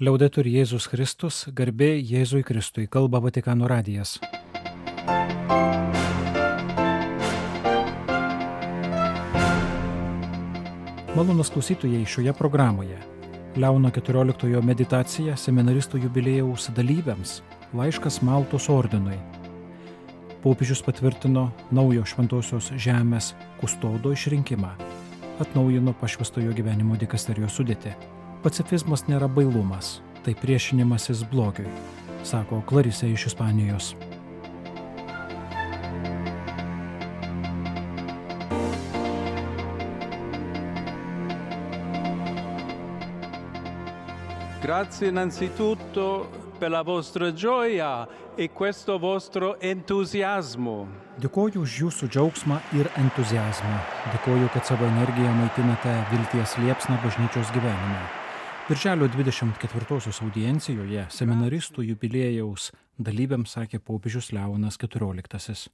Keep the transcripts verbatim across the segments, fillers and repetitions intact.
Liaudetur Jėzus Kristus, garbė Jėzui Kristui, kalba Vatikano radijas. Malonūs klausytojai, šioje programoje Leono keturioliktojo meditacija seminaristų jubiliejaus dalyviams, laiškas Maltos ordinui. Popiežius patvirtino naujo šventosios žemės kustodo išrinkimą, atnaujino pašvęstojo gyvenimo dikasterijos sudėtį. Pacifizmas nėra bailumas, tai priešinimasis blogiui, sako Klarisė iš Ispanijos. Grazie innanzitutto per la vostra gioia e questo vostro entusiasmo. Dėkoju už jūsų džiaugsmą ir entuziazmą. Dėkoju, kad savo energiją maitinate vilties liepsną bažnyčios gyvenime. Birželio dvidešimt ketvirtosios audiencijoje seminaristų jubiliejaus dalyviams sakė popiežius Leonas keturioliktasis.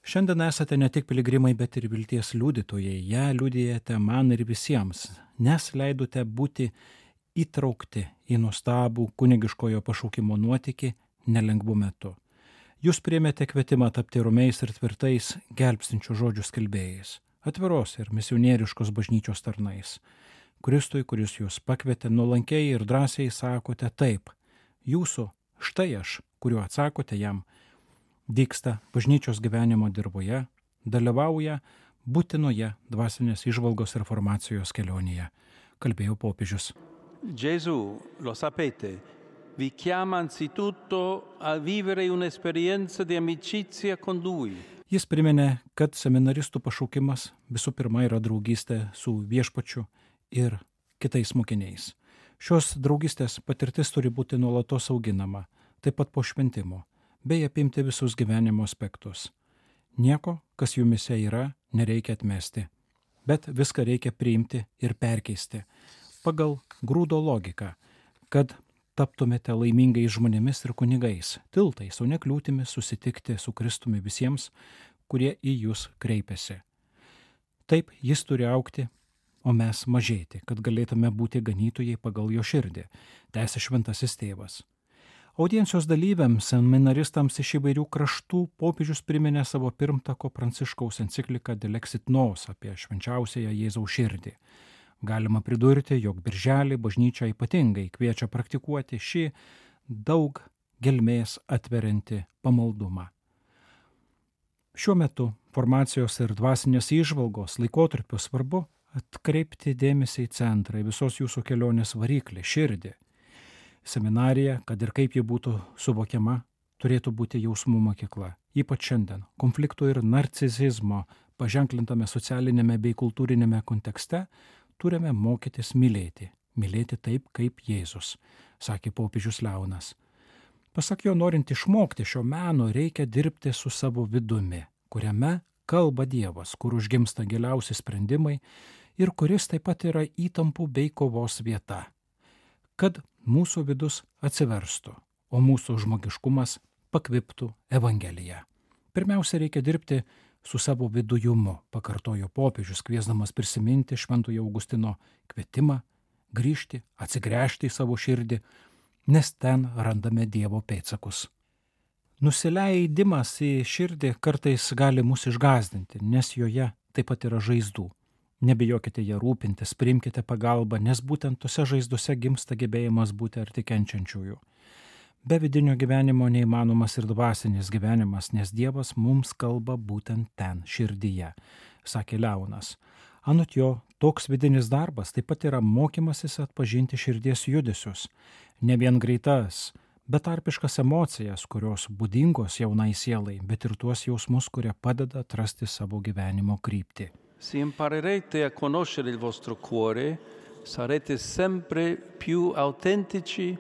Šiandien esate ne tik piligrimai, bet ir vilties liudytojai. Ją liudijate man ir visiems, nes leidote būti įtraukti į nuostabų kunigiškojo pašaukimo nuotykį nelengvu metu. Jūs priėmėte kvietimą tapti romiais ir tvirtais gelbstinčių žodžių skelbėjais, atviros ir misionieriškos bažnyčios tarnais. Kristui, kuris jūs pakvietė, nuolankiai ir drąsiai sakote taip. Jūsų, štai aš, kuriuo atsakote jam, dygsta bažnyčios gyvenimo dirboje, dalyvauja būtinoje dvasinės įžvalgos ir formacijos kelionėje, kalbėjo popiežius. Gesù, lo sapete, vi chiama anzitutto a vivere un'esperienza di amicizia con Lui. Jis priminė, kad seminaristų pašaukimas visų pirma yra draugystė su viešpačiu ir kitais mokiniais. Šios draugystės patirtis turi būti nuolatos auginama, taip pat po šventimo, bei apimti visus gyvenimo aspektus. Nieko, kas jumise yra, nereikia atmesti, bet viską reikia priimti ir perkeisti pagal grūdo logiką, kad taptumėte laimingais žmonėmis ir kunigais, tiltais, o ne kliūtimis susitikti su Kristumi visiems, kurie į jūs kreipiasi. Taip jis turi augti, o mes mažėti, kad galėtume būti ganytojai pagal jo širdį, tęsė šventasis tėvas. Audiencijos dalyviams, seminaristams iš įvairių kraštų popiežius priminė savo pirmtako Pranciškaus encikliką Dilexit Nos apie švenčiausiąją Jėzaus širdį. Galima pridurti, jog birželį bažnyčia ypatingai kviečia praktikuoti šį daug gelmės atveriantį pamaldumą. Šiuo metu formacijos ir dvasinės įžvalgos laikotarpiu svarbu atkreipti dėmesį į centrą, į visos jūsų kelionės variklį, širdį. Seminarija, kad ir kaip ji būtų suvokiama, turėtų būti jausmų mokykla. Ypač šiandien konfliktų ir narcisizmo paženklintame socialinėme bei kultūrinėme kontekste turime mokytis mylėti, mylėti taip kaip Jėzus, sakė popiežius Leonas. Pasak jo, norint išmokti šio meno, reikia dirbti su savo vidumi, kuriame kalba Dievas, kur užgimsta giliausi sprendimai ir kuris taip pat yra įtampų bei kovos vieta, kad mūsų vidus atsiverstų, o mūsų žmogiškumas pakviptų Evangeliją. Pirmiausia, reikia dirbti su savo vidujumu, pakartojo popiežius, kviesdamas prisiminti Šventojo Augustino kvietimą, grįžti, atsigręžti į savo širdį, nes ten randame Dievo pėdsakus. Nusileidimas į širdį kartais gali mus išgąsdinti, nes joje taip pat yra žaizdų. Nebijokite ją rūpintis, priimkite pagalbą, nes būtent tose žaizdose gimsta gebėjimas būti arti kenčiančiųjų. Be vidinio gyvenimo neįmanomas ir dvasinis gyvenimas, nes Dievas mums kalba būtent ten, širdyje, sakė Leonas. Anot jo, toks vidinis darbas taip pat yra mokymasis atpažinti širdies judesius, ne vien greitas, betarpiškas emocijas, kurios būdingos jaunai sielai, bet ir tuos jausmus, kurie padeda atrasti savo gyvenimo kryptį. Se imparerete a conoscere il vostro cuore, sarete sempre più autentici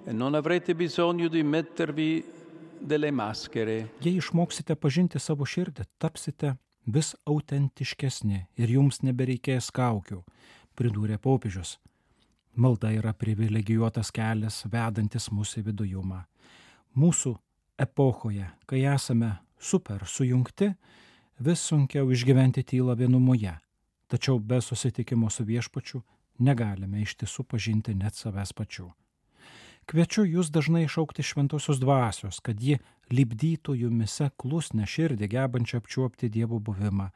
e non avrete bisogno di mettervi delle maschere. Jei išmoksite pažinti savo širdį, tapsite vis autentiškesni ir jums nebereikės kaukių, pridūrė popiežius. Malda yra privilegijuotas kelias, vedantis mūsų vidujumą. Mūsų epochoje, kai esame super sujungti, vis sunkiau išgyventi tylą vienumoje, tačiau be susitikimo su viešpačiu negalime iš tiesų pažinti net savęs pačių. Kviečiu jūs dažnai šaukti šventosios dvasios, kad ji lipdytų jumise klusnę širdį, gebančią apčiuopti Dievo buvimą.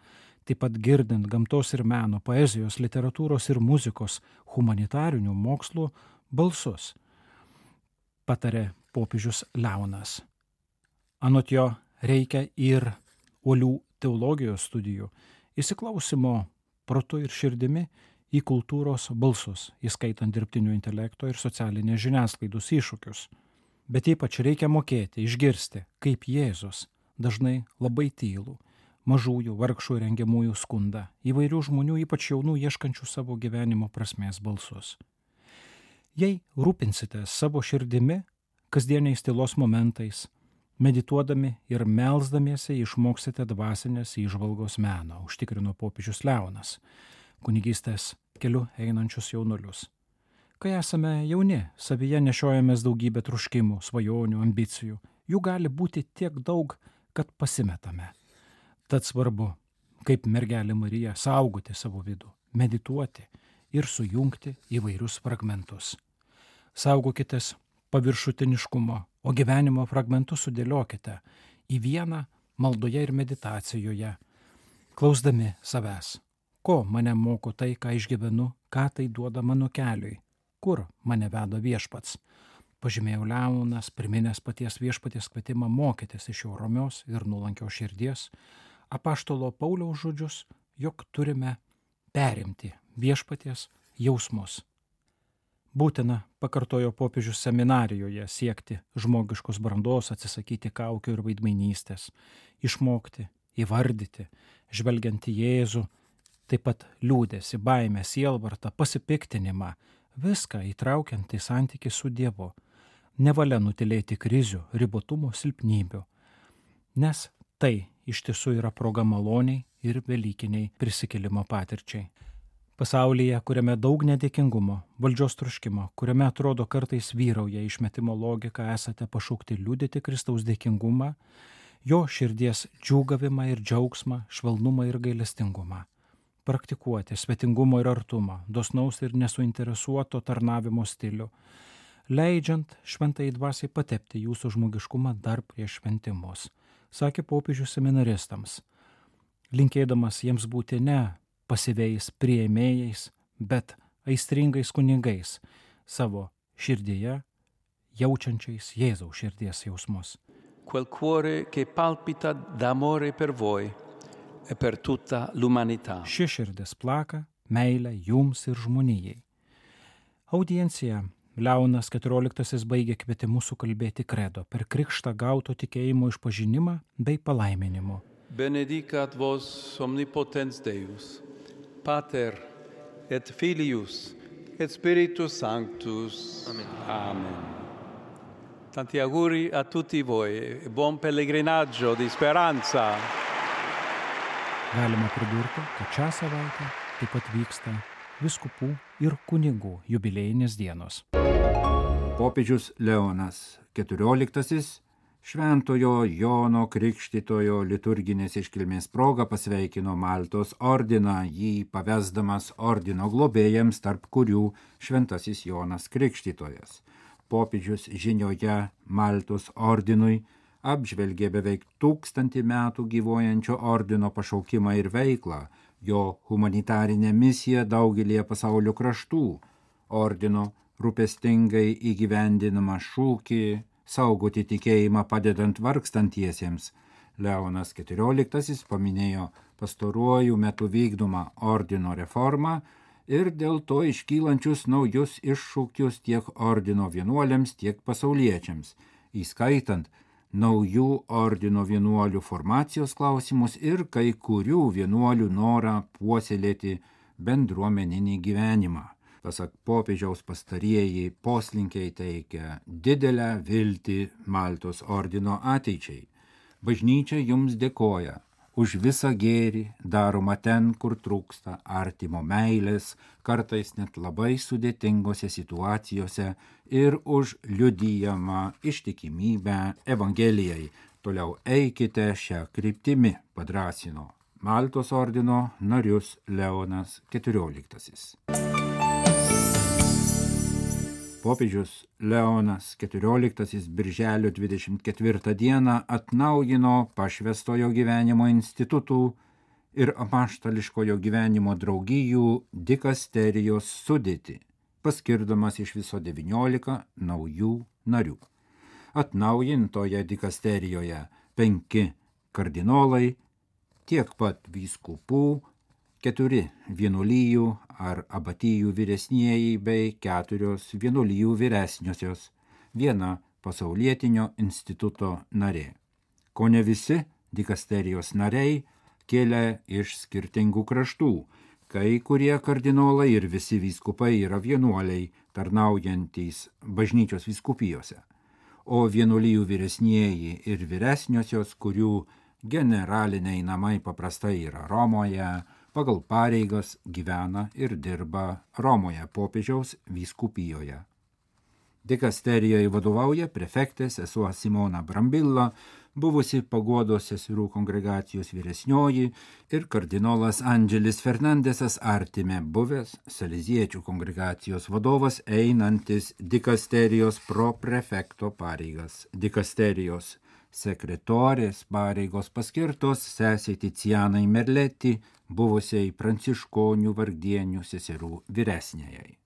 Taip pat girdint gamtos ir meno, poezijos, literatūros ir muzikos, humanitarinių mokslų balsus, patarė popiežius Leonas. Anot jo reikia ir uolių teologijos studijų, įsiklausimo protu ir širdimi į kultūros balsus, įskaitant dirbtinio intelekto ir socialinės žiniasklaidos iššūkius. Bet ypač reikia mokėti, išgirsti, kaip Jėzus dažnai labai tylų, mažųjų, vargšų ir rengiamųjų skundą, įvairių žmonių, ypač jaunų, ieškančių savo gyvenimo prasmės balsus. Jei rūpinsitės savo širdimi, kasdieniais tylos momentais, medituodami ir melsdamiesi išmoksite dvasinės įžvalgos meną, užtikrino popiežius Leonas, kunigystės keliu einančius jaunuolius. Kai esame jauni, savyje nešiojamės daugybę troškimų, svajonių, ambicijų. Jų gali būti tiek daug, kad pasimetame. Tad svarbu, kaip mergelė Marija, saugoti savo vidų, medituoti ir sujungti įvairius fragmentus. Saugokitės paviršutiniškumo, o gyvenimo fragmentus sudėliokite į vieną maldoje ir meditacijoje, klausdami savęs. Ko mane moko tai, ką išgyvenu, ką tai duoda mano keliui, kur mane veda viešpats. Pažymėjo Leonas, priminęs paties viešpaties kvietimą mokytis iš jo ramios ir nuolankios širdies, apaštalo Pauliaus žodžius, jog turime perimti viešpaties jausmus. Būtina, pakartojo popiežius seminarijoje, siekti žmogiškos brandos, atsisakyti kaukių ir vaidmainystės, išmokti, įvardyti, žvelgiant į Jėzų, taip pat liūdesį, baimę, sielvartą, pasipiktinimą, viską įtraukiant į santykį su Dievu, nevalia nutilėti krizių, ribotumo, silpnybių, nes tai iš tiesų yra proga maloniai ir velykiniai prisikėlimo patirčiai. Pasaulyje, kuriame daug nedėkingumo, valdžios troškimo, kuriame atrodo kartais vyrauja išmetimo logika, esate pašaukti liudyti Kristaus dėkingumą, jo širdies džiūgavimą ir džiaugsmą, švelnumą ir gailestingumą. Praktikuoti svetingumo ir artumą, dosnaus ir nesuinteresuoto tarnavimo stilių, leidžiant šventai dvasiai patepti jūsų žmogiškumą dar prieš šventimus, sakė popiežius seminaristams, linkėdamas jiems būti ne pasyviais priėmėjais, bet aistringais kunigais, savo širdyje jaučiančiais Jėzaus širdies jausmus. Quel cuore che palpita d'amore per voi e per tutta l'umanità. Ši širdis plaka meilę jums ir žmonijai. Audienciją Leonas keturioliktasis baigė kvietimu sukalbėti kredo per krikštą gauto tikėjimo išpažinimą bei palaiminimu. Benedicat vos omnipotens Deus, Pater et Filius et Spiritus Sanctus. Amen. Amen. Tanti auguri a tutti voi e buon pellegrinaggio di speranza. Galima pridurti, kad šią savaitę taip pat vyksta vyskupų ir kunigų jubiliejinės dienos. Popiežius Leonas keturioliktasis Šventojo Jono Krikštytojo liturginės iškilmės proga pasveikino Maltos ordiną, jį pavesdamas ordino globėjams, tarp kurių Šventasis Jonas Krikštytojas. Popiežius žinioje Maltos ordinui apžvelgė beveik tūkstantį metų gyvuojančio ordino pašaukimą ir veiklą, jo humanitarinę misiją daugelėje pasaulio kraštų, ordino rūpestingai įgyvendinamą šūkį saugoti tikėjimą padedant vargstantiesiems. Leonas keturioliktasis paminėjo pastaruoju metu vykdomą ordino reformą ir dėl to iškylančius naujus iššūkius tiek ordino vienuoliams, tiek pasauliečiams, įskaitant naujų ordino vienuolių formacijos klausimus ir kai kurių vienuolių norą puoselėti bendruomeninį gyvenimą. Pasak popiežiaus pastarieji poslinkiai teikia didelę viltį Maltos ordino ateičiai. Bažnyčia jums dėkoja už visą gėrį daroma ten, kur trūksta artimo meilės, kartais net labai sudėtingose situacijose ir už liudijamą ištikimybę Evangelijai. Toliau eikite šią kryptimį, padrąsino Maltos ordino narius Leonas keturioliktasis. popiežius Leonas keturioliktasis birželio dvidešimt ketvirtą dieną atnaujino pašvęstojo gyvenimo institutų ir apaštališkojo gyvenimo draugijų dikasterijos sudėtį, paskirdamas iš viso devyniolika naujų narių. Atnaujintoje dikasterijoje penki kardinolai, tiek pat vyskupų, keturi vienuolijų ar abatijų vyresnieji bei keturios vienuolijų vyresniosios, viena pasaulietinio instituto narė. Kone visi dikasterijos nariai kėlė iš skirtingų kraštų, kai kurie kardinolai ir visi vyskupai yra vienuoliai tarnaujantys bažnyčios vyskupijose, o vienuolijų vyresnieji ir vyresniosios, kurių generaliniai namai paprastai yra Romoje, pagal pareigas gyvena ir dirba Romoje popiežiaus vyskupijoje. Dikasterijoje vadovauja prefektė sesuo Simona Brambilla, buvusi Paguodos seserų kongregacijos vyresnioji, ir kardinolas Andželis Fernandesas Artime, buvęs Saleziečių kongregacijos vadovas, einantis dikasterijos proprefekto pareigas. Dikasterijos sekretorės pareigos paskirtos sesei Ticianai Merleti, buvusiai pranciškonių vargdienių seserų vyresniajai.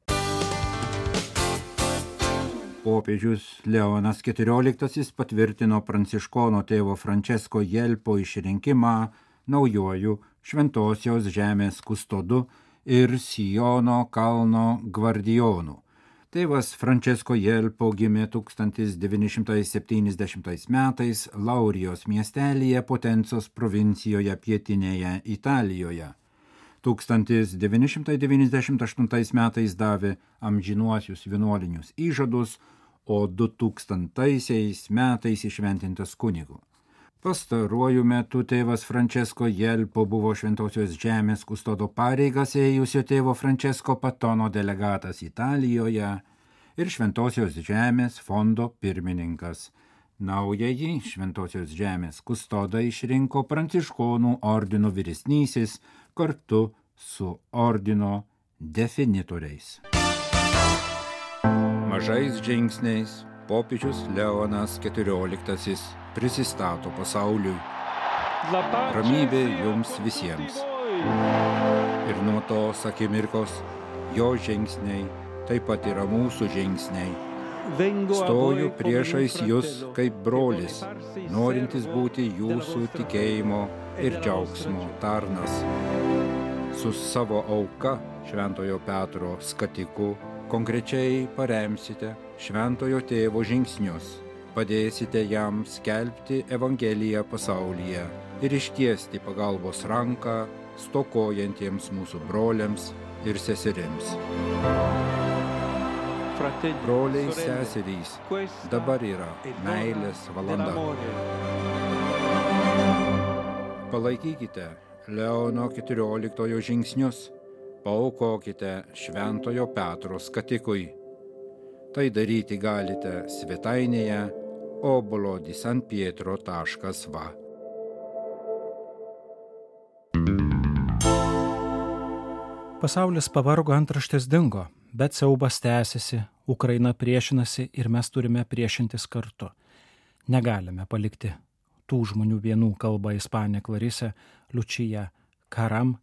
Popiežius Leonas keturioliktasis patvirtino pranciškono tėvo Francesco Jelpo išrinkimą naujojų Šventosios žemės kustodu ir Siono kalno gvardijonu. Tėvas Francesco Jelpo gimė tūkstantis devyni šimtai septyniasdešimtais metais Laurijos miestelyje Potencos provincijoje pietinėje Italijoje. tūkstantis devyni šimtai devyniasdešimt aštuntais metais davė amžinuosius vienuolinius įžadus, o du tūkstantaisiais metais įšventintas kunigu. Pastaruoju metu tėvas Francesco Jelpo buvo Šventosios žemės kustodo pareigas ėjusio tėvo Francesco Patono delegatas Italijoje ir Šventosios žemės fondo pirmininkas. Naująjį Šventosios žemės kustodą išrinko pranciškonų ordino vyresnysis kartu su ordino definitoriais. Mažais žingsniais popiežius Leonas keturioliktasis prisistato pasauliui. Ramybė jums visiems. Ir nuo tos akimirkos jo žingsniai taip pat yra mūsų žingsniai. Stoju priešais jūs kaip brolis, norintis būti jūsų tikėjimo ir džiaugsmo tarnas. Su savo auka Šventojo Petro skatiku konkrečiai paremsite Šventojo tėvo žingsnius, padėsite jam skelbti Evangeliją pasaulyje ir ištiesti pagalbos ranką stokojantiems mūsų broliams ir seserims. Broliai, seserys, dabar yra meilės valanda. Palaikykite Leono keturioliktojo žingsnius, paaukokite Šventojo Petro skatikui. Tai daryti galite svetainėje obolo di san pietro taškas va. Pasaulis pavargo, antraštės dingo, bet siaubas tęsiasi, Ukraina priešinasi ir mes turime priešintis kartu. Negalime palikti tų žmonių vienų, kalba ispanė Klarisė Lučija Karam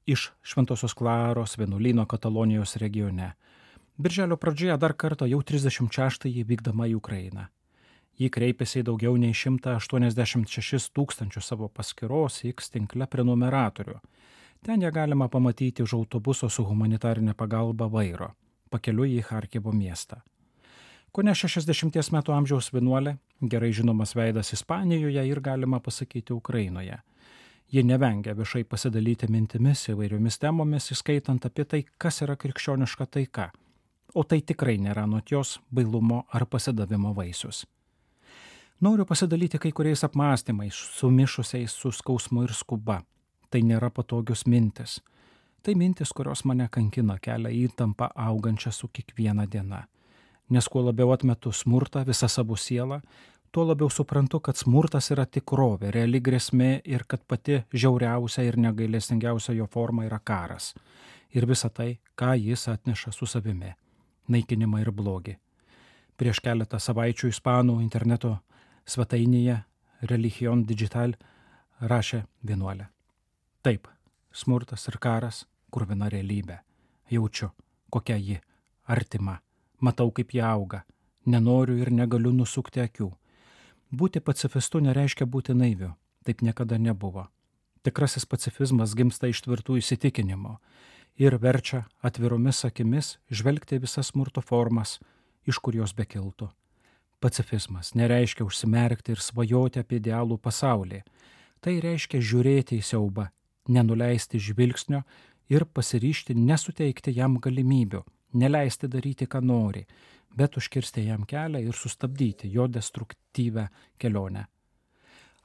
iš Šventosios Klaros vienuolyno Katalonijos regione. Birželio pradžioje dar kartą jau trisdešimt šeštąjį vykdama į Ukrainą. Ji kreipėsi į daugiau nei šimtą aštuoniasdešimt šešis tūkstančių savo paskyros X tinkle prenumeratorių. Ten ją galima pamatyti už autobuso su humanitarinė pagalba vairo, pakeliui į Charkivo miestą. Kone šešiasdešimties metų amžiaus vienuolė, gerai žinomas veidas Ispanijoje ir galima pasakyti Ukrainoje. Ji nevengia viešai pasidalyti mintimis įvairiomis temomis, įskaitant apie tai, kas yra krikščioniška taika, o tai tikrai nėra anot jos bailumo ar pasidavimo vaisius. Noriu pasidalyti kai kuriais apmąstymais, sumišusiais su skausmu ir skuba. Tai nėra patogios mintis. Tai mintis, kurios mane kankina, kelia įtampą augančią su kiekviena diena. Nes kuo labiau atmetu smurtą visą savo sielą, tuo labiau suprantu, kad smurtas yra tikrovė, reali grėsmė ir kad pati žiauriausia ir negailestingiausia jo forma yra karas. Ir visa tai, ką jis atneša su savimi. naikinimą ir blogį. Prieš keletą savaičių ispanų interneto svetainėje Religion Digital rašė vienuolė. Taip, smurtas ir karas kruvina realybė. Jaučiu, kokia ji artima. Matau, kaip ji auga. Nenoriu ir negaliu nusukti akių. Būti pacifistu nereiškia būti naiviu. Taip niekada nebuvo. Tikrasis pacifizmas gimsta iš tvirtų įsitikinimų ir verčia atviromis akimis žvelgti visas smurto formas, iš kur jos bekiltų. Pacifizmas nereiškia užsimerkti ir svajoti apie idealų pasaulį. Tai reiškia žiūrėti į siaubą, nenuleisti žvilgsnio ir pasiryžti nesuteikti jam galimybių, neleisti daryti, ką nori, bet užkirsti jam kelią ir sustabdyti jo destruktyvę kelionę.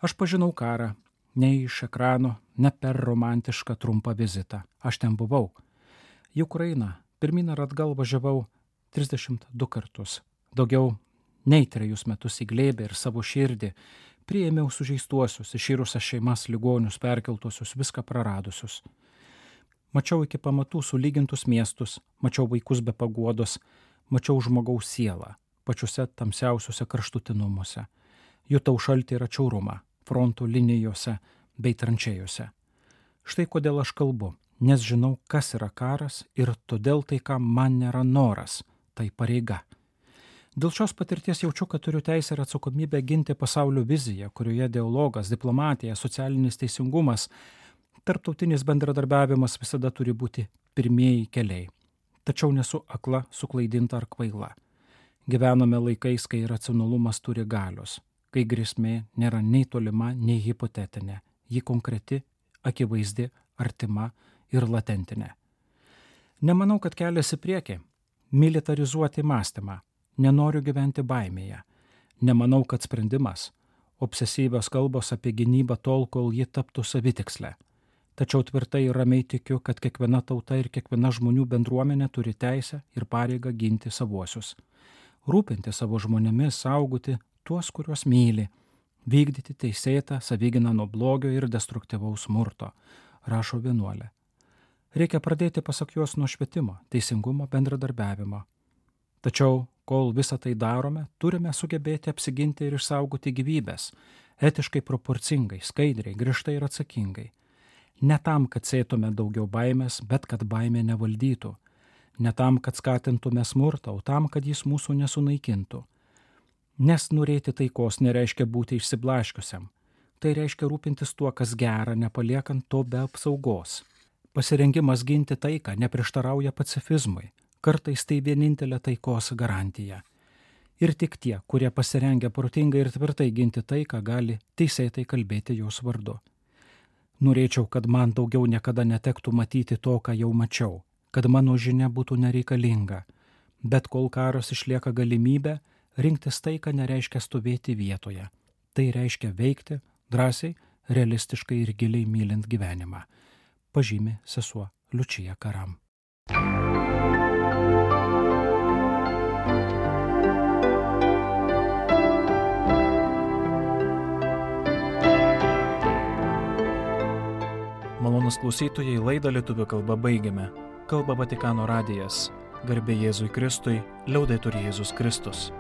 Aš pažinau karą, ne iš ekrano, ne per romantišką trumpą vizitą. Aš ten buvau. Į Ukrainą pirmyn ir atgal važiavau trisdešimt du kartus. Daugiau nei trejus metus į glėbę ir savo širdį priėmiau sužeistuosius, iširusias šeimas, ligonius, perkeltuosius, viską praradusius. Mačiau iki pamatų sulygintus miestus, mačiau vaikus be paguodos, mačiau žmogaus sielą, pačiuose tamsiausiuose kraštutinumuose. Jutau šaltį ir atšiaurumą fronto linijose bei tranšėjose. Štai kodėl aš kalbu, nes žinau, kas yra karas ir todėl tai, ką man nėra noras, tai pareiga. Dėl šios patirties jaučiu, kad turiu teisę ir atsakomybę ginti pasaulio viziją, kurioje dialogas, diplomatija, socialinis teisingumas, tarptautinis bendradarbiavimas visada turi būti pirmieji keliai. Tačiau nesu akla, suklaidinta ar kvaila. Gyvename laikais, kai racionalumas turi galios, kai grėsmė nėra nei tolima, nei hipotetinė, ji konkreti, akivaizdi, artima ir latentinė. Nemanau, kad kelias į priekį – militarizuoti mąstymą. Nenoriu gyventi baimėje. Nemanau, kad sprendimas – obsesyvios kalbos apie gynybą tol, kol ji taptų savitikslę. Tačiau tvirtai ir ramiai tikiu, kad kiekviena tauta ir kiekviena žmonių bendruomenė turi teisę ir pareigą ginti savuosius. Rūpinti savo žmonėmis, saugoti tuos, kuriuos myli, vykdyti teisėtą savigyną nuo blogio ir destruktyvaus smurto, rašo vienuolė. Reikia pradėti pasak jos nuo švietimo, teisingumo, bendradarbiavimo. Tačiau, kol visą tai darome, turime sugebėti apsiginti ir išsaugoti gyvybės, etiškai proporcingai, skaidriai, griežtai ir atsakingai. Ne tam, kad sėtume daugiau baimės, bet kad baimė nevaldytų. Ne tam, kad skatintume smurtą, o tam, kad jis mūsų nesunaikintų. Nes norėti taikos nereiškia būti išsiblaškiusiam. Tai reiškia rūpintis tuo, kas gera, nepaliekant to be apsaugos. Pasirengimas ginti taiką neprieštarauja pacifizmui. Kartais tai vienintelė taikos garantija. Ir tik tie, kurie pasirengia protingai ir tvirtai ginti taiką, gali teisėtai kalbėti jos vardu. Norėčiau, kad man daugiau niekada netektų matyti to, ką jau mačiau, kad mano žinia būtų nereikalinga. Bet kol karas išlieka galimybė, rinktis taiką nereiškia stovėti vietoje. Tai reiškia veikti drąsiai, realistiškai ir giliai mylint gyvenimą, pažymi sesuo Liučija Karam. Malonūs klausytojai, laidą lietuvių kalba baigiame. Kalba Vatikano radijas. Garbė Jėzui Kristui, liaudetur Jėzus Kristus.